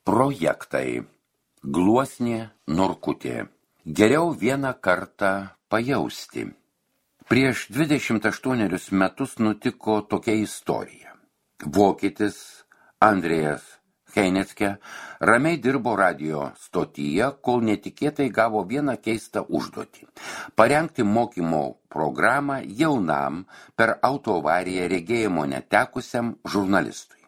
Projektai. Gluosnė Norkutė. Geriau vieną kartą pajausti. Prieš 28 metus nutiko tokia istorija. Vokietis Andrėjas Heineckė ramiai dirbo radio stotyje, kol netikėtai gavo vieną keistą užduotį – parengti mokymo programą jaunam per autoavariją regėjimo netekusiam žurnalistui.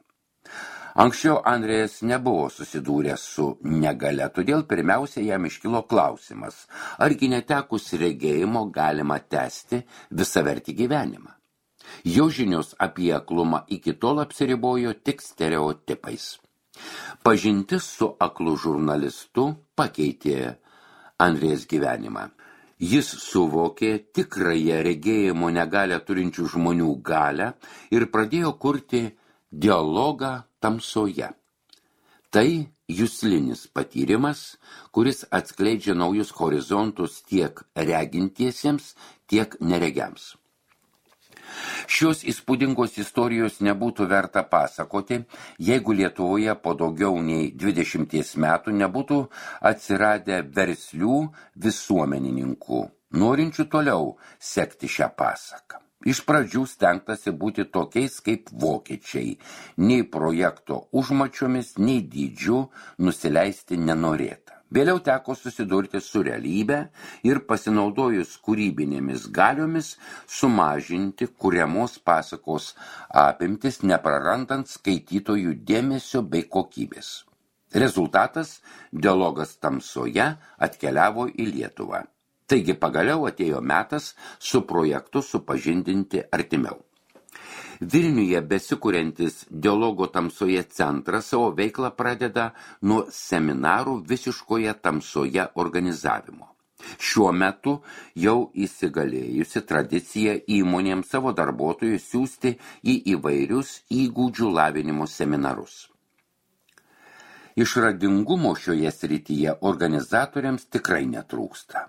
Anksčiau Andrėjas nebuvo susidūręs su negalia, todėl pirmiausia jam iškilo klausimas, argi netekus regėjimo galima tęsti visavertį gyvenimą. Jo žinios apie aklumą iki tol apsiribojo tik stereotipais. Pažintis su aklu žurnalistu pakeitė Andrėjas gyvenimą. Jis suvokė tikrąją regėjimo negalią turinčių žmonių galią ir pradėjo kurti dialogą tamsoje. Tai juslinis patyrimas, kuris atskleidžia naujus horizontus tiek regintiesiems, tiek neregiams. Šios įspūdingos istorijos nebūtų verta pasakoti, jeigu Lietuvoje po daugiau nei 20 metų nebūtų atsiradę verslių visuomenininkų, norinčių toliau sekti šią pasaką. Iš pradžių stengtasi būti tokiais kaip vokiečiai, nei projekto užmačiomis, nei dydžiu nusileisti nenorėta. Vėliau teko susidurti su realybe ir pasinaudojus kūrybinėmis galiomis sumažinti kuriamos pasakos apimtis, neprarandant skaitytojų dėmesio bei kokybės. Rezultatas – dialogas tamsoje atkeliavo į Lietuvą. Taigi pagaliau atėjo metas su projektu supažindinti artimiau. Vilniuje besikuriantis dialogo tamsoje centras savo veiklą pradeda nuo seminarų visiškoje tamsoje organizavimo. Šiuo metu jau įsigalėjusi tradicija įmonėms savo darbuotojus siųsti į įvairius įgūdžių lavinimo seminarus. Išradingumo šioje srityje organizatoriams tikrai netrūksta.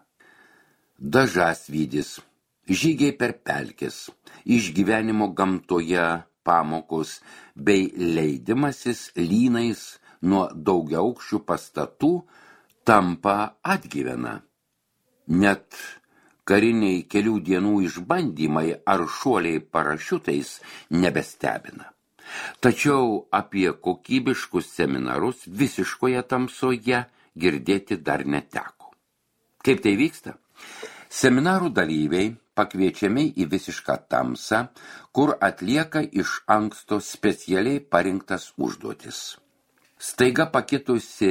Dažasvydis, žygiai per pelkes, išgyvenimo gamtoje pamokos bei leidimasis lynais nuo daugiaaukščių pastatų tampa atgyvena. Net kariniai kelių dienų išbandymai ar šuoliai parašiutais nebestebina. Tačiau apie kokybiškus seminarus visiškoje tamsoje girdėti dar neteko. Kaip tai vyksta? Seminarų dalyviai pakviečiami į visišką tamsą, kur atlieka iš anksto specialiai parinktas užduotis. Staiga pakitusi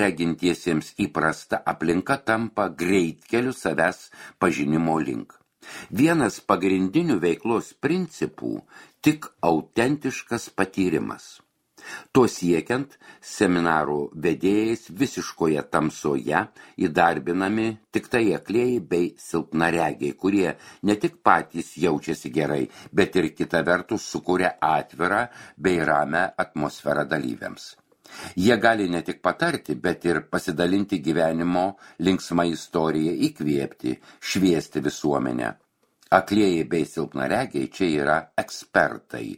regintiesiems įprasta aplinka tampa greitkeliu savęs pažinimo link. Vienas pagrindinių veiklos principų – tik autentiškas patyrimas. To siekiant, seminarų vedėjais visiškoje tamsoje įdarbinami tik tai aklieji bei silpnaregiai, kurie ne tik patys jaučiasi gerai, bet ir kita vertus sukuria atvirą bei ramią atmosferą dalyviams. Jie gali ne tik patarti, bet ir pasidalinti gyvenimo linksmą istoriją, įkvėpti, šviesti visuomenę. Aklieji bei silpnaregiai čia yra ekspertai,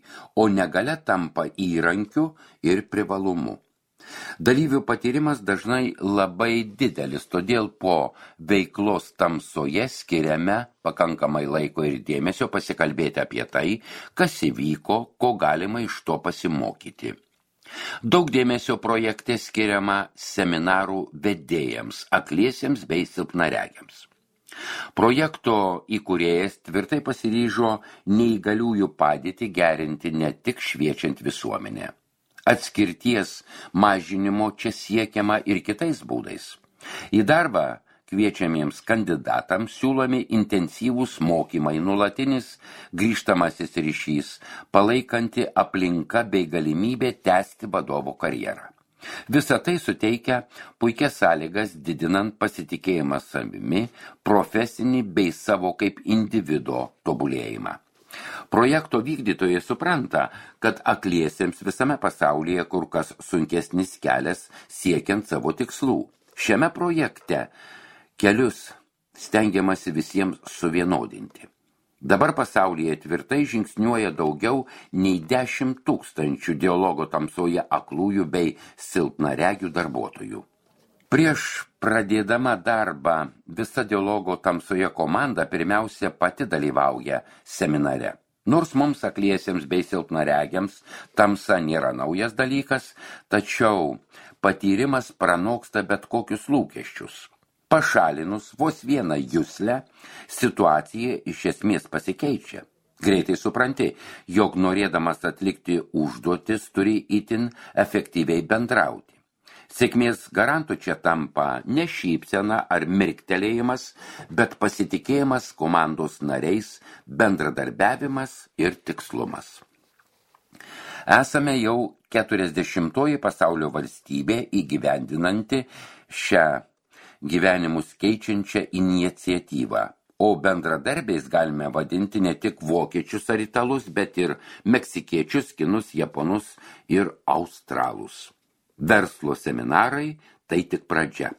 o negalia tampa įrankiu ir privalumu. Dalyvių patyrimas dažnai labai didelis, todėl po veiklos tamsoje skiriame pakankamai laiko ir dėmesio pasikalbėti apie tai, kas įvyko, ko galima iš to pasimokyti. Daug dėmesio projekte skiriama seminarų vedėjams, akliesiems bei silpnaregiams. Projekto įkūrėjas tvirtai pasiryžo neįgaliųjų padėtį gerinti ne tik šviečiant visuomenę. Atskirties mažinimo čia siekiama ir kitais būdais. Į darbą kviečiamiems kandidatams siūlomi intensyvūs mokymai, nuolatinis grįžtamasis ryšys, palaikanti aplinka bei galimybė tęsti vadovo karjerą. Visa tai suteikia puikias sąlygas didinant pasitikėjimą savimi, profesinį bei savo kaip individo tobulėjimą. Projekto vykdytojai supranta, kad akliesiems visame pasaulyje kur kas sunkesnis kelias siekiant savo tikslų. Šiame projekte kelius stengiamasi visiems suvienodinti. Dabar pasaulyje tvirtai žingsniuoja daugiau nei 10 000 dialogo tamsoje aklųjų bei silpnaregių darbuotojų. Prieš pradėdama darbą visa dialogo tamsoje komanda pirmiausia pati dalyvauja seminare. Nors mums akliesiems bei silpnaregiams tamsa nėra naujas dalykas, tačiau patyrimas pranoksta bet kokius lūkesčius. Pašalinus vos vieną juslę, situacija iš esmės pasikeičia. Greitai supranti, jog norėdamas atlikti užduotis turi itin efektyviai bendrauti. Sėkmės garantų čia tampa ne šypsena ar mirktelėjimas, bet pasitikėjimas komandos nariais, bendradarbiavimas ir tikslumas. Esame jau 40 pasaulio valstybė įgyvendinanti šią gyvenimus keičiančią iniciatyvą, o bendradarbiais galime vadinti ne tik vokiečius ar italus, bet ir meksikiečius, kinus, japonus ir australus. Verslo seminarai tai tik pradžia.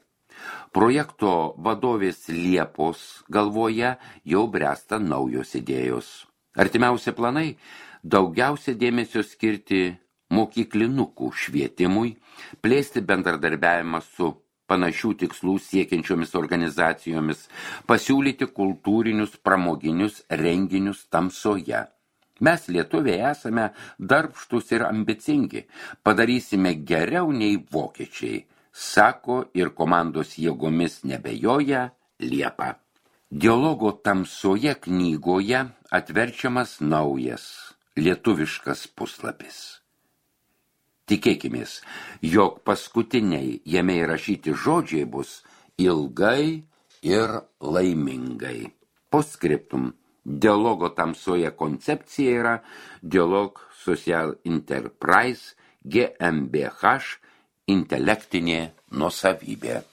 Projekto vadovės Liepos galvoje jau bręsta naujos idėjos. Artimiausi planai daugiausia dėmesio skirti mokyklinukų švietimui, plėsti bendradarbiavimą su panašių tikslų siekiančiomis organizacijomis, pasiūlyti kultūrinius pramoginius renginius tamsoje. Mes lietuviai esame darbštus ir ambicingi, padarysime geriau nei vokiečiai, sako ir komandos jėgomis nebejoja Liepa. Dialogo tamsoje knygoje atverčiamas naujas lietuviškas puslapis. Tikėkimės, jog paskutiniai jame įrašyti žodžiai bus ilgai ir laimingai. Postscriptum. Dialogo tamsoje koncepcija yra Dialog Social Enterprise GmbH intelektinė nuosavybė.